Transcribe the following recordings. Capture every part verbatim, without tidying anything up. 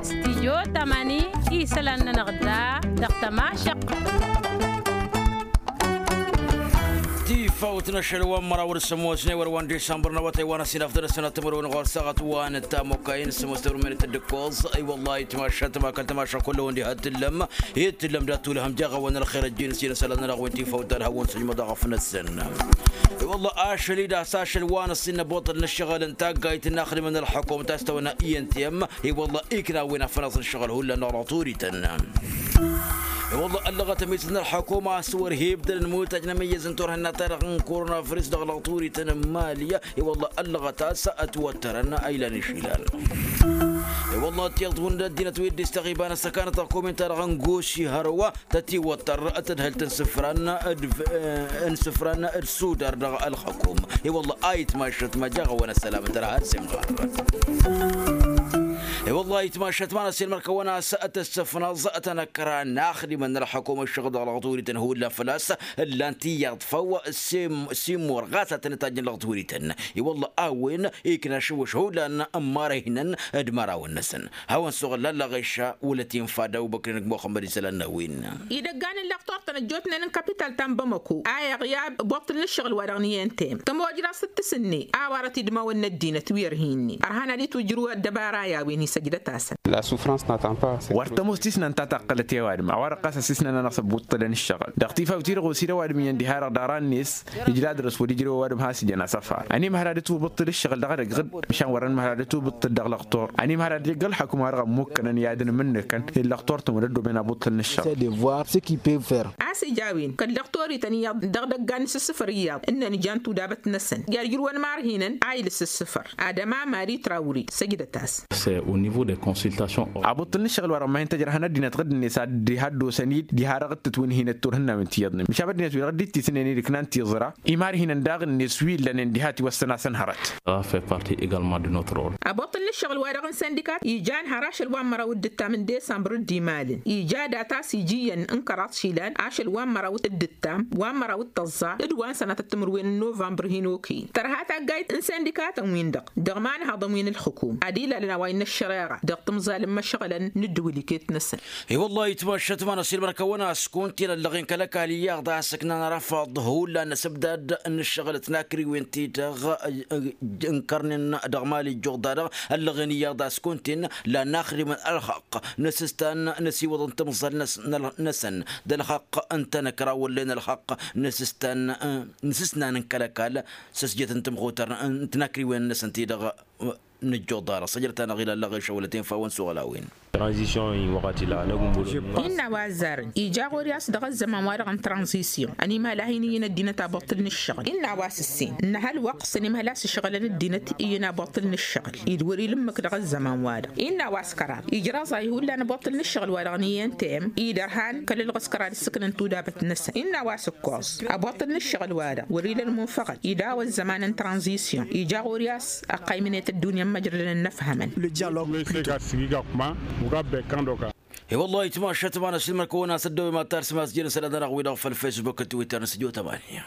Studyo tamani, isălan-nănăɣ da dăɣ-tămašăɣt. Tifawt n-ašăl wa n-măraw d-sămoosne wăr wa n-disambăr n-awătay wa n-asǝnaf d-năsănat timǝrwen ɣur-saɣăt wa n-tamokkayin sămoos timǝrwen d-tăddǝkkoẓ. I-wăllah itmašat ma kăl-tamašăɣ kull-wăn diha t-tǝllăm. Ittǝllăm dat-tulhăm jaɣ-awăn ălxer ăjjeen s-inăsălan-nănăɣ wen tifawt talhăwăn sǝjmăḍ aɣăf-năsăn. I-wălla ašăl-i d-a-s ašăl wa n-ăṣṣin năboṭăl n-ăššăɣǝl n-taggayt n-inaxdimăn ălxăkum ta s-tawănna i n t m. I-wălla ikna a-wen afănaẓ n-ăššăɣǝl hullan dăɣ-lăɣturităn. I-wălla ăllăɣăt ămizăt n-ălxăkum a-s wăr hi-ibdălăn mutaj n-amǝyyăz n-turhǝnna-ta-dăɣ n-korona virus dăɣ-lăɣturităn n-mali. I-wălla ăllăɣăt a-s ătwăttărăn a ilan išilan. I-wălla tiyyăḍ hundăt ăddinăt wi dd-istăɣ iba n-ăssăkanăt ălxukum-in-ta-dăɣ n-gosi hărwa tătiwăttăr tadhǝlt n-isǝfran d-isǝfran d-sudar dăɣ-ălxăkum. I-wălla a itmašăt ma jaɣ-awăn ăssălam tărha d-simɣar. I-wălla a itmašăt ma n-ăssiilmăr-kăwăn a-s tăssăfnăẓ tănăkra n-axdimăn n-ălxăkum ăššăɣ dăɣ-lăɣturităn hullan făl-a-s ǝllan tiyyăḍ făw. Simor ɣas a tăn-ǝtajjăn lăɣturităn. I-wălla a-wen ikna ašăwăš hullan n-imăra ihnăn d-imărawăn-năsăn. Hawăn-suɣǝl lăllăɣ iša wălăt infa d-awbăkrin g-muxămmăd isălan n-a-wen. Idăggan n-lăqtor-tăn ăjjootnen n-kapital ta n-bamăko a iɣyab boṭṭǝl n-ǝššăɣǝl-wa-dăɣ n-i n t m tămojraẓt d-tǝsǝnne a-wa rătidmawăn n-ăddinăt wi ărhinni ărhan ad-itwǝjrǝw ăddăbara i-a-wen isăjdăt-asăn. Wăr tămoos tisnant ta taqqălăt i-ăwadǝm a-wa-dăɣ ɣas ăsisnăn-anăɣ s-ăbbuṭṭǝlăn ǝššăɣǝl dăɣ-tifawt-i-dăɣ osid ăwadǝm iyyăn diha-dăɣ ḍarăn-net. Ǝjla dăr-s wăr-ijrew ăwadǝm has-ijăn asăfar ănimhăl ad-ătwǝbǝṭṭǝl ǝššăɣǝl dăɣ-edăgg ɣǝd. Măšan wăr-ănmhăl ad-ătwǝbǝṭṭǝl dăɣ-lăqtor ănimhăl ad-ijăgg ălxăkum-wa-dăɣ ămmukkănăn i-ad-ănmǝnnǝkăn i-ăllăqtor-tăn wăr-ăddoben abuṭṭǝl n-ǝššăɣǝl. A-s ija a-wen kăl-lăqtor-ităn iyyăḍ dăɣ-idăggan n-isǝssǝfăr iyyăḍ ǝnnăn ijan tudabăt-năsăn i-ad-ǝjrǝwăn imar-hi-nănăn a ila isǝssǝfăr. Adăma mari trawri săjdăt-as. Abuṭṭǝl n-ǝššăɣǝl wa dăɣ-ma hin-tăjrăhăn ăddinăt ɣǝdd-net ad-diha ăddosăn-dd diha dăɣ-dd-tǝtwǝnhǝynăt turhǝnnawen tiyyăḍnen măšan ăddinăt wi dăɣ-dd-ittisǝnnen-dd ǝknan tiẓra. Imar-hi-nănăn daɣ-net wi ǝllănen diha ătiwăssăn-asăn hărăt. Abuṭṭǝl n-ǝššăɣǝl wa dăɣ-n săndikat ijan har ašăl wa n-măraw d-ǝttam n-desămbăr dd-imalăn ija dat-as ija iyyăn n-kăraḍ išilan ašăl wa n-măraw d-ǝttam wa n-măraw d-tăẓẓa d-wa n-sănatăt timǝrwen n-novămbăr hin-okăyăn tărha taggayt n-săndikatăn-win-dăɣ dăɣ-imanhaḍăn wi n-ǝlxǝkum ad-ilalăn a-wa innă ăššăreɣa dăɣ-timẓal n-imăšɣălăn n-ǝddǝwǝl iket-năsăn. I-wăllah itmašăt ma n-ăsilmăr-kăwăn a-s kunta-in ăllăɣen kăl-ăkall iyyăḍ a-s ǝknan arăfaḍ hullan n-asǝbdad n-ǝššăɣǝl d-tinakriwen-ti-dăɣ ǝnkărnen dăɣ-mali ǝjjuɣ-da-dăɣ ăllăɣen iyyăḍ a-s kunta-in lan n-axdimăn ălxaqq n-asǝstan n-asiwăḍăn timẓal-năsăn d-ălxaqq n-tanăkra wăllen ălxaqq n-asǝstan n-asǝsnan n-kăl-ăkall s-asjet n-timxutăr n-tinakriwen-năsăn-ti-dăɣ. Nǝjjuḍ-arăɣ săjdăt-anăɣ ila ăllăɣeša wăla tinfa a-wen suɣǝl a-wen. Tranzisyon-in wăɣăt ila năgg n-bălon. Innă a-wa ăzzarăn ija ɣur-i a-s dăɣ-ăzzăman-wa-dăɣ n-tranzisyon ănimhal a hin-iyyǝn ăddinăt a buṭṭǝl n-ǝššăɣǝl innă a-wa s-ǝssin ǝnnăhăl wăqq s-ănimhal a-s ǝšɣǝlăn ăddinăt iyyǝn a buṭṭǝl n-ǝššăɣǝl-i d-wăr-ila ǝmmǝk dăɣ-ăzzăman-wa-dăɣ. Innă a-wa s-kăraḍ ijraẓ-ahi hullan abuṭṭǝl n-ǝššăɣǝl-wa-dăɣ n-iyyăn tayăm-i d-ărhan kăl-ǝlɣǝs kăraḍ ǝssǝknăn tudabăt-năsăn innă a-wa s-ǝkkoẓ abuṭṭǝl n-ǝššăɣǝl-wa-dăɣ wăr-ila ălmunfăɣăl-i daw-ăzzăman n-tranzisyon ija ɣur-i a-s ăqqaymǝnet ăddunya n-imăjrădăn ănnăfhămăn. I-wăllah itmašăt ma n-ăsilmăr-kăwăn a-s ăddăwem ad-tarsǝm a-s jăn isălan-nănăɣ-wi-dăɣ făll-facebook d-twitter n-sǝjo tămani.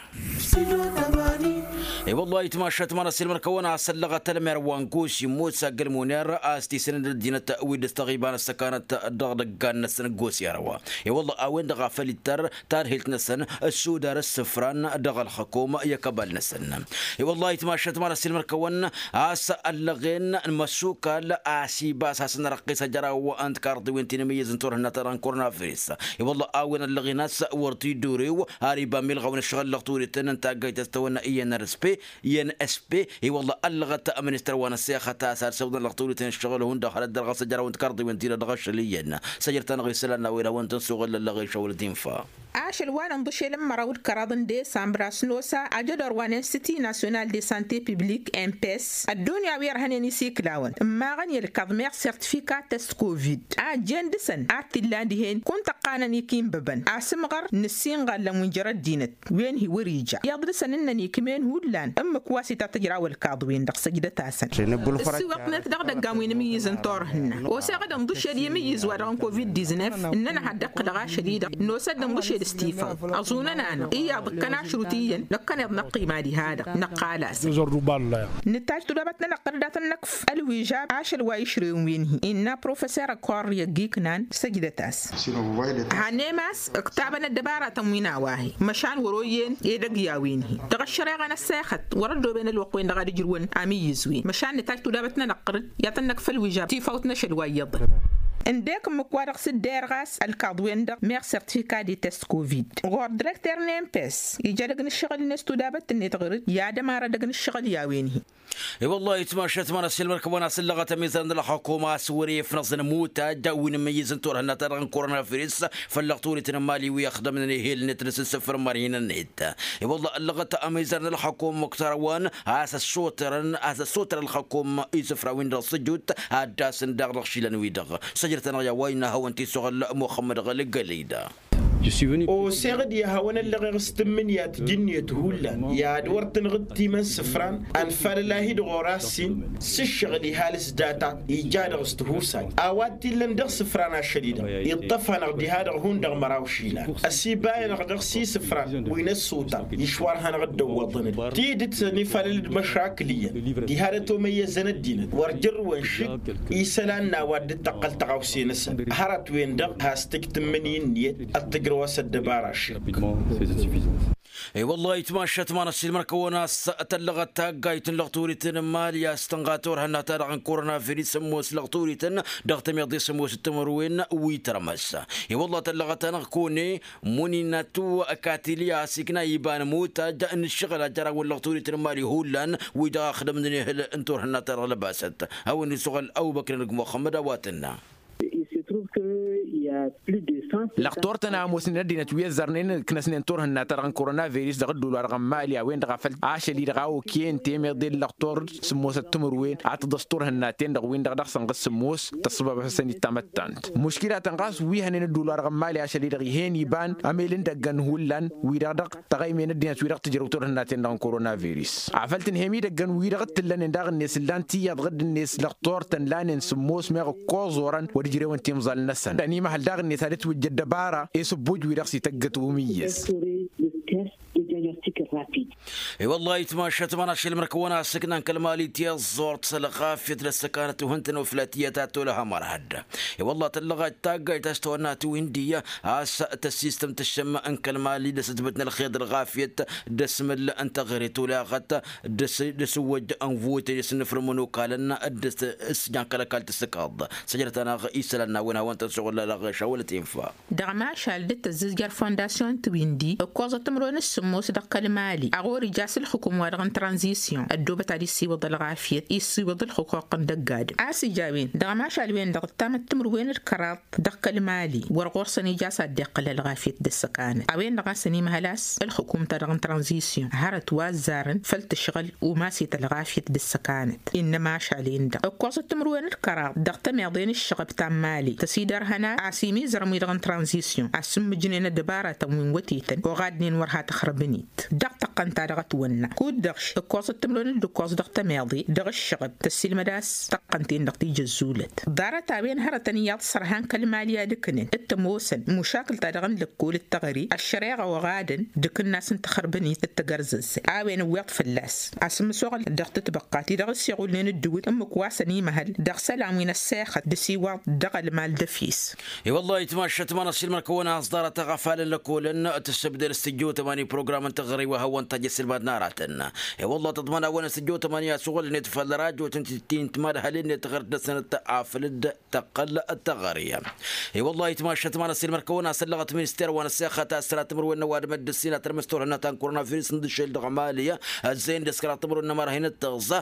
I-wăllah itmašăt ma n-ăsilmăr-kăwăn a-s ăllăɣăt ălmer wa n-gosi musa ăgg-ălmuner a-s tisǝnǝd ăddinăt wi dd-ăstăɣ iba n-ăssăkanăt dăɣ-idăggan-năsăn gosi hărwa. I-wăllah a-wen-dăɣ a făl ittăr tadhilt-năsăn ăssudar ǝssǝfran dăɣ-ălxăkum i-akăbal-năsăn. I-wăllah itmašăt ma n-ăsilmăr-kăwăn a-s ăllăɣen n-imăssukal a-s ibas hasăn-răqqis ajăraw n-tikarḍiwen ti n-amǝyyǝz n-turhǝnna-ta-dăɣ n-korona virus. I-wăllah a-wen ăllăɣen a-s wăr t-dd-urew har iba milɣaw n-ǝššăɣǝl lăɣturităn n-taggayt a-s tawănna i n-rsp i n-sp. I-wăllah ăllăɣăt ăministăr wa n-ăssexăt a-s ad-săwḍăn lăɣturităn ǝššăɣǝl hundăɣ hărăt dăr-ɣas ajăraw n-tikarḍiwen ti-dăɣ dăɣ-ašăl iyyăn. Săjrăt-anăɣ isălan n-a-wen a-wen tăn-suɣǝl ăllăɣen šawălăt infa. Ašăl wa n-inḍǝšel n-măraw d-kăraḍ n-desambra s-nosa ajădor wa n-institut national de sante publik n p s ăddunya wi ărhănen isiklawăn ǝmmaɣăn i-ălkăḍmeɣ sertifikat test covid a ǝjjen dăɣ-săn ad-t-illan dihen kunta ǝqqanăn ikinbăbăn asǝmɣăr n-ǝssinɣallăn wi n-jer-ăddinăt wen hi-wăr-ija iyyăḍ dăɣ-săn ǝnnăn ikmen hullan ǝmmǝk wa s-itatăjraw ălkaḍ-wen-dăɣ săjdăt-asăn. Ǝssiwăḍnet dăɣ-idăggan wi n-amǝyyǝz n-turhǝnna oseɣ d-ănḍǝšed i-amǝyyǝz-wa-dăɣ n-covid diznef ǝnnăn ad-dd-ăqqǝlăɣ ašăl-i-dăɣ nosăd ănḍǝšed. Stifan ăẓunăn-anăɣ iyyăḍ ǝkkăn ašrut iyyăn năkkăneḍ năqqima diha-dăɣ năqqal-as. Nǝttaj tudabăt-nănăɣ tăr-dd ad-tăn-năkf ălwižab ašăl wa išrewăn wi n-hi-innă professor ăkkoarr i-ăgg-iknan săjdăt-as. Hannăyăm a-s ǝktabăn ăddăbaratăn wi n-a-wa hi-măšan wăr-oyyen edăgg i-a-wen-hi dăɣ-ăššăreɣa n-ăssexăt wăr-ăddooben ălwăqq-wen-dăɣ ad-ǝjrǝwăn amǝyyǝz-wen măšan nǝttaj tudabăt-nănăɣ tăr-dd i-ad-tăn-năkf ălwižab tifawt n-ašăl wa iyyăḍăn. Ǝndek ǝmmǝk-wa-dăɣ s-dd-erɣ a-s ălkaḍ-wen-dăɣ meɣ certificat de test covid ɣur-direkter n-empes ija edăgg n-ǝššăɣǝl-net tudabăt-net ɣur-dd i-ad-ămar edăgg n-ǝššăɣǝl i-a-wen-hi. I-wăllah itmašat ma n-ăssiilmăr kăwăn-asǝllăɣăt ămizăr n-ălxukum a-s wăr-e-ifnăẓ n-imutaj wi n-imǝyyǝz n-turhǝnna-ta-dăɣ n-korona virus făll-lăɣturităn n-imali wi ăxdămnen ehel-net dăr-s ǝssǝfrǝmăr hin-net. I-wăllah ăllăɣăt ămizăr n-ălxukum muktar wa n-a-s ăssotărăn a-s ăssotăr ălxukum isǝfra-win-dăɣ s-ăjut ad-dd-asǝn daɣ dăɣ-išilan-wi-dăɣ. Săjdăt-anăɣ i-a-wa innă hawăn-t-isuɣǝl muxămmăd ɣălgălăy-da. Oseɣ-dd i-ad-hawăn-ăllăɣeɣ s-tǝmmǝnǝya tǝjǝnniyăt hullan i-ad-wăr tǝnɣǝd timăn isǝfran ănfalăl-ahi-dd ɣur-assin s-ǝššăɣǝl ihal s-data ija dăɣ-s tihusay a-wa t-illăn dăɣ-isǝfran ašăl-i-dăɣ iṭṭăf-anăɣ diha-dăɣ hundăɣ măraw išilan ăsiba-anăɣ dăɣ-s isǝfran wi n-ăssutăr išwar hanăɣ-dd-ăwwăḍăn-dd tidǝt ănifalăl d-măšakǝl iyyăn diha dăt-omăyyăzăn ăddinăt wăr jărrǝwăn šik isălan n-a-wa dd-tăqqăl tăɣawse-năsăn hărăt-wen-dăɣ has-tǝj tǝmmǝnǝy ǝnniyăt ad-tǝjrăw-as ăddăbara šik. I-wăllah itmašat ma n-ăssiilmăr-kăwăn a-s tăllăɣăt taggayt n-lăɣturităn n-imali a-s tǝnɣa turhǝnna-ta-dăɣ n-korona virus ămoos lăɣturităn dăɣ-tămiḍe s-ămoos d-timǝrwen wi tărmăs. I-wăllah tăllăɣăt-anăɣ kăwăn-e muninatu katili a-s ikna iba n-ămutaj n-ǝššăɣǝl a jărawăn lăɣturităn n-imali hullan wi dăɣ-a ăxdămnen ehăl n-turhǝnna-ta-dăɣ lăbasăt. Hawăn-isuɣăl ăbubăkr n-ăgg muxămmăd a-wa tǝnna. Lăqtor-tăn a ămoosnen ăddinăt wi ăzzărnen ǝknăsnen turhǝnna-ta-dăɣ n-korona virus dăɣ-ădduul-wa-dăɣ n-imali a-wen-dăɣ a făl ašăl-i-dăɣ a okăyăn temeḍe n-lăqtor s-ămoosăt timǝrwen ad-tǝḍăs turhǝnnaten-dăɣ win-dăɣ dăɣ-sănɣăs sǝmmos tăssăbabăsăn-dd tamăttant muškilatăn ɣas wi hănen ădduul-wa-dăɣ n-imali ašăl-i-dăɣ ih'-en iba n-emel n-idăggăn hullan wi-dăɣ dăɣ-tăɣăymen ăddinăt wi-dăɣ tǝjrăw turhǝnnaten-dăɣ n-korona virus. Afăl tǝnhăyăm idăggăn wi-dăɣ t-tǝllănen daɣ-net ǝllan tiyyăḍ ɣǝdd-net lăqtor-tăn lanen sǝmmos meɣ ǝkkoẓ orăn wăr ǝjrewăn timẓal-năsăn ănimăhăl daɣ-net ad-ǝtwǝjja ăddăbara i-sǝbbuj wi-dăɣ s-ităggăt umǝyyăz. I-wăllah itmašat ma n-ašăl măr-kăwăn-asǝknan kăl-mali tiẓẓurt s-ălɣafyăt d-ăssăkanăt uhǝntăn uflat iyyăt ad-tolăhăm ărhăd. I-wăllah tăllăɣăt taggayt a-s tawănna tiwǝndi a-s tăssistăm tǝššǝm n-kăl-mali d-asǝtbǝt n-ălxeḍ ălɣafyăt d-asmǝl n-taɣret olaɣăt d-asǝwwăj ănvutăn i-asǝnnǝfrǝm n-okalăn d-asǝjan kăl-ăkall tǝssǝkaḍ. Săjdăt-anăɣ isălan n-a-wen hawăn-tăn-suɣǝl ălɣeš a wălăt infa. Dăɣ-mašal dd-tăzzǝzjăr fondasyon tiwǝndi ǝkkoẓăt timǝrwen s-sǝmmos dăɣ-kăl-mali a ɣur-ija s-ǝlxǝkum-wa-dăɣ n-tranzisyon ăddoobăt ad-issiwǝḍ ălɣafyăt issiwǝḍ ǝlxǝquq n-dăgg-adǝm a-s ija a-wen dăɣ-mašal-wen-dăɣ ǝttamăt timǝrwen d-kăraḍ dăɣ-kăl-mali wăr ɣur-săn ija a-s ad-dd-iqqǝl ălɣafyăt d-ăssăkanăt a-wen-dăɣ a-s ănimăhăl a-s ǝlxǝkum-ta-dăɣ n-tranzisyon hărăt wa ăzzarăn făll-tǝšɣǝl umas-i tălɣafyăt d-ăssăkanăt innă mašal-en-dăɣ ǝkkoẓăt timǝrwen d-kăraḍ dăɣ-tămiḍe n-ǝššăɣb ta n-mali tăsidărhăn a-s imizărăm-wi-dăɣ n-tranzisyon a-s ǝmmǝjnen ăddăbaratăn wi n-wătetăn oɣadnen wăr ha tăxrăbăn-dd dăɣ-tăqqăn ta dăɣ-ătwănna kud-dăɣ ǝkkoẓăt timǝrwen d-ǝkkoẓ dăɣ-tămiḍe dăɣ-ǝššăɣb tăssilmăd a-s tăqqăn-ten-dăɣ tijăzzulăt ḍarăt-a-wen hărătăn iyyăḍ s-ărhan kăl-mali ad-ǝknăn d-tămoosăn mušakǝl-ta-dăɣ n-lăkkol d-teɣăre ăššăreɣa oɣadăn d-akǝnnas n-taxărbănit d-tagărzăzzăy a-wen ǝwweḍ fălla-s a-s ǝmmǝsoɣăl dăɣ-tǝtbăqqa ti-dăɣ ǝssiɣulnen ǝddǝwǝt ǝmmǝk wa s-ănimăhăl dăɣ-isălan wi n-ăssexăt d-asiwaḍ dăɣ-ălmal d-efis. I-wăllah itmašat ma n-ăssiilmăr-kăwăn a-s ḍarăt aɣăfalăn lăkolăn tǝssǝbdăl s-tijjăw tămani program n-teɣăre wa hawăn-tajj ăssilmad n-aratăn. I-wăllah tăḍman a-wen s-tijjăw tămani a-s uɣǝlnet făll-rajo tǝntǝttin timadhălen-net ɣăr-dăɣ-săn tăɣăre. I-wăllah itmašat ma n-ăssiilmăr-kăwăn a-s ăllăɣăt minister wa n-ăssexăt a-s tăra timǝrwen n-ăwadǝm dd-ǝssin ad-tărmǝs turhǝnna ta n-korona virus n-dd-išel dăɣ-mali. Ăzzeyăn dăɣ-s kăraḍ timǝrwen n-ămăra hin-dd-tăɣza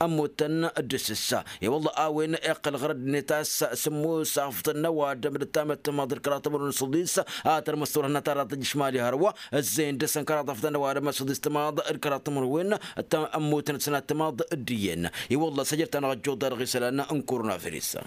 ămmutăn d-asǝssa. I-wălla a-wen iqqăl ɣur-ăddinăt a-s sǝmmos afḍăn n-ăwadǝm d-tamăttămaḍ d-kăraḍ timǝrwen n-săḍis ad-tărmǝs turhǝnna ta dăɣ-tăjjǝš mali hărwa. Ăzzeyăn dăɣ-săn kăraḍ afḍăn n-ăwadǝm asăḍis timaḍ d-kăraḍ timǝrwen ămmutăn d-sănat timaḍ d-iyyăn. I-wălla săjrăt-anăɣ ăjjuḍa dăɣ-isălan n-korona virus.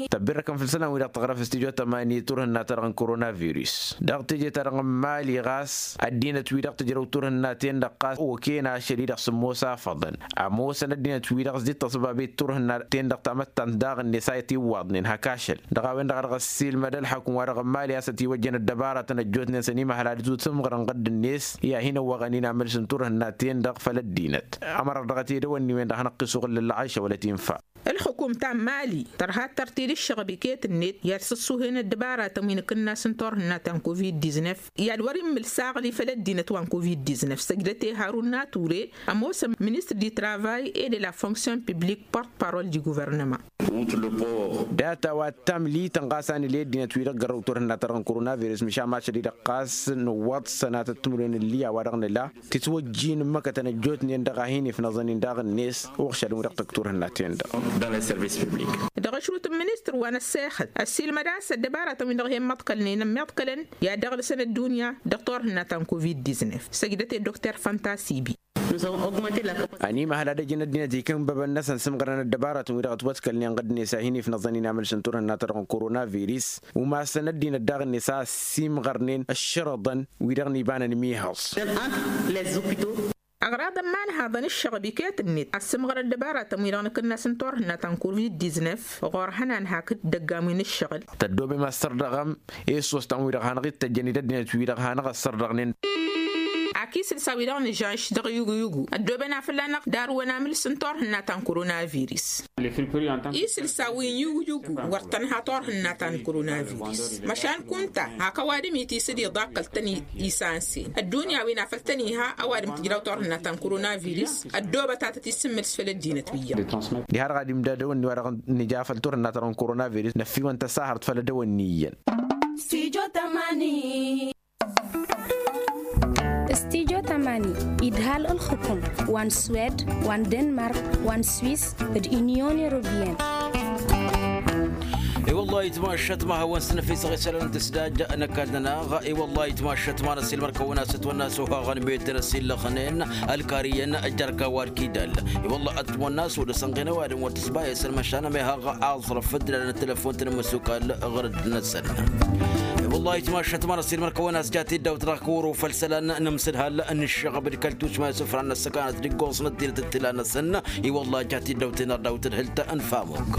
Tăbbirrăkăn făll-isălan-wi-dăɣ tăɣrăf studyo tămani turhǝnna-ta-dăɣ n-korona virus dăɣ-teje-ta-dăɣ n-imali ɣas ăddinăt-wi-dăɣ tǝjrăw turhǝnna-ten-dăɣ ɣas okăyăn ašăl-i-dăɣ s-ămoos afăḍăn. Ămoosăn ăddinăt-wi-dăɣ s-dd-tăṣbabet turhǝnna-ten-dăɣ tamăttant daɣ-net a i-tiwwaḍnen hak ašăl dăɣ-a-wen-dăɣ a dăɣ-ăssiilmăd ălxukǝm-wa-dăɣ n-imali a-s ătiwăjjăn ăddăbaratăn ăjjootnen s-ănimăhăl ad-dd-tǝmɣărăn ɣǝdd-net i-ad-hin-ăwwăɣăn-in amǝls n-turhǝnna-ten-dăɣ făll-ăddinăt. Ămărăɣ dăɣ-tedăwănniwen dăɣ-hanăɣ-t-isuɣǝl lălla ɣayša wăla tinfa. Ălxukum ta n-mali tărha ad-tărtǝl ǝššăɣb iket-net i-ad-sǝssuhen ăddăbaratăn wi n-akǝnnas n-turhǝnna ta n-covid-diznăf i-ad-wăr-immǝl saɣli făll-ăddinăt wa n-covid-diznăf săjdăt i-harun nature. Ămoosăn ministăr di travay et de la fonction publik porte-parole di guvernăma. Data wa t-tamlităn ɣas a nǝla i-ăddinăt-wi-dăɣ gărrăw turhǝnna-ta-dăɣ n-korona virus măšan mašăl-i-dăɣ ɣas nǝwwăḍ sănatăt timǝrwen n-liya wa dăɣ-nǝla tǝtwăjjin n-măkătăn ăjjootnen dăɣ-a hin-ifnăẓăn-in daɣ-net uɣšăl wi-dăɣ tăgg turhǝnna-ten-dăɣ. Dăɣ-ašrut n-ministăr wa n-ăssexăt ăssiilmăd a-s ăddăbaratăn-win-dăɣ hi-ămmăḍkălnen ămmiḍkălăn i-ad-dăɣ-lăsăn ăddunya dăɣ-turhǝnna ta n-covid-diznăf săjdăt i-dd-okter fantasibi. Ănimăhăl ad-ăjǝn ăddinăt ikǝnbăbăn-năsăn s-imɣărăn ăddăbaratăn-wi-dăɣ ătwăḍkălnen ɣǝdd-net a hin-ifnăẓăn-in amǝls n-turhǝnna-ta-dăɣ n-korona virus umasăn ăddinăt daɣ-net a ăssiimɣărnen ǝššărăḍăn wi-dăɣ n-ibanăn mihăẓ. Aɣraḍăn ma ǝnhaḍăn ǝššăɣb iket-net ad-sǝmɣăr ăddăbaratăn-wi-dăɣ n-akǝnnas n-turhǝnna ta n-covid-diznăf ɣur-hănan hakd dăgg-am wi n-ǝššăɣǝl. Tăddoobem ad-sărdăɣăm i-ǝssostanăn-wi-dăɣ hanăɣ-ittăjjăn i-dd-ăddinăt-wi-dăɣ hanăɣ-ăssărdăɣnen. Ak isǝlsa-wi-dăɣ n-žănš dăɣ-iyugu-iyugu ăddooben a fălla-năɣ darǝwăn amǝls n-turhǝnna ta n-korona virus. Isǝlsa wi n-iyugu-iyugu wăr tănha turhǝnna ta n-korona virus măšan kunta hak ăwadǝm itisǝd iḍakkăl-tăn isansen ăddunya wi n-afăl tăn-iha ăwadǝm tǝjraw turhǝnna ta n-korona virus. Ăddoobăt ad-tăt-issǝmmǝlǝs făll-ăddinăt wi iyyăn. Diha-dăɣ ad-imda dăwănni wa dăɣ-nǝja făll-turhǝnna ta dăɣ-n korona virus năffiwăn tăsahărt făll-dăwănni iyyăn. Studyo tămani. Studyo tămani idhal ǝlxǝkum wa n-swed wa n-denmark wa n-swis d-inyon europeyăn. I-wăllah itmašat ma hawăn-s năfisăɣ isălan tǝsdaj n-ăkall-nănăɣ. I-wăllah itmašat ma n-ăsilmăr kăwăn-as ătwănna s-ohaɣăn metăr ăsillăxnen ălkar iyyăn. Ăjjărka wa ălkidal i-wăllah ătwănna s-odăsăn ɣinăwadǝm wăr tǝsbayăsăn măšan ămehăɣ aẓrăf dd-ilalăn ăttelăfon-tăn n-imǝssukal ɣur-dd-năsăn. I-wăllah itmašat ma n-ăsilmăr kăwăn-as jat iddaw-t dăɣ-kăwăr ufăl isălan nǝmsǝdhal n-ǝššăɣăb d-kăl-tušma isǝfran n-ăssăkanăt d-iggoẓ n-ăddinăt d-tila-năsăn. I-wăllah jat iddaw-ten ărdawt d-hǝl ta n-famuk.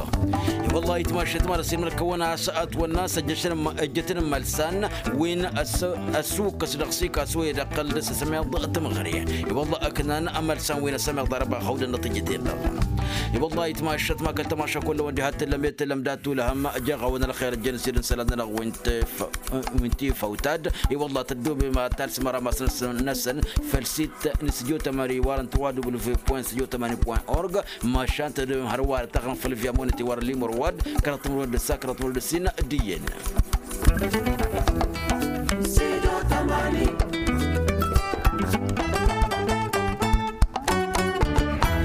I-wăllah itmašat ma n-ăsilmăr kăwăn-as ătwănna s-ăjjăšăn ǝjjătăn n-imălsan wi n-ăssukkăs dăɣ-s ikas wăyy d-ăqqăl dăr-s asămeḍ. Tǝmɣăre i-wăllah ǝknan amălsan wi n-asămeḍ arăba hawdăn-năt ǝjjăten-dăɣ. I-wăllah itmašat ma kăl-tămaša kullăwăn diha t-tǝllăm i-tǝllăm dat-tulhăm. Jeɣ-awăn ălxer ǝjjăn s-dd-n isălan-nănăɣ wi n-tifawt-ad. I-wăllah tăddobem ad-talsǝm arămas-năsăn făll-sit n-studio tămani iwarăn trois w point studio tămani point org. Măšan tăddobem hărwa ad-taɣrăm făll-via monăt iwarăn limăr wad kăraḍ timǝrwen d-ǝssa kăraḍ timǝrwen d-ǝssin. D-iyyăn. Studio tămani.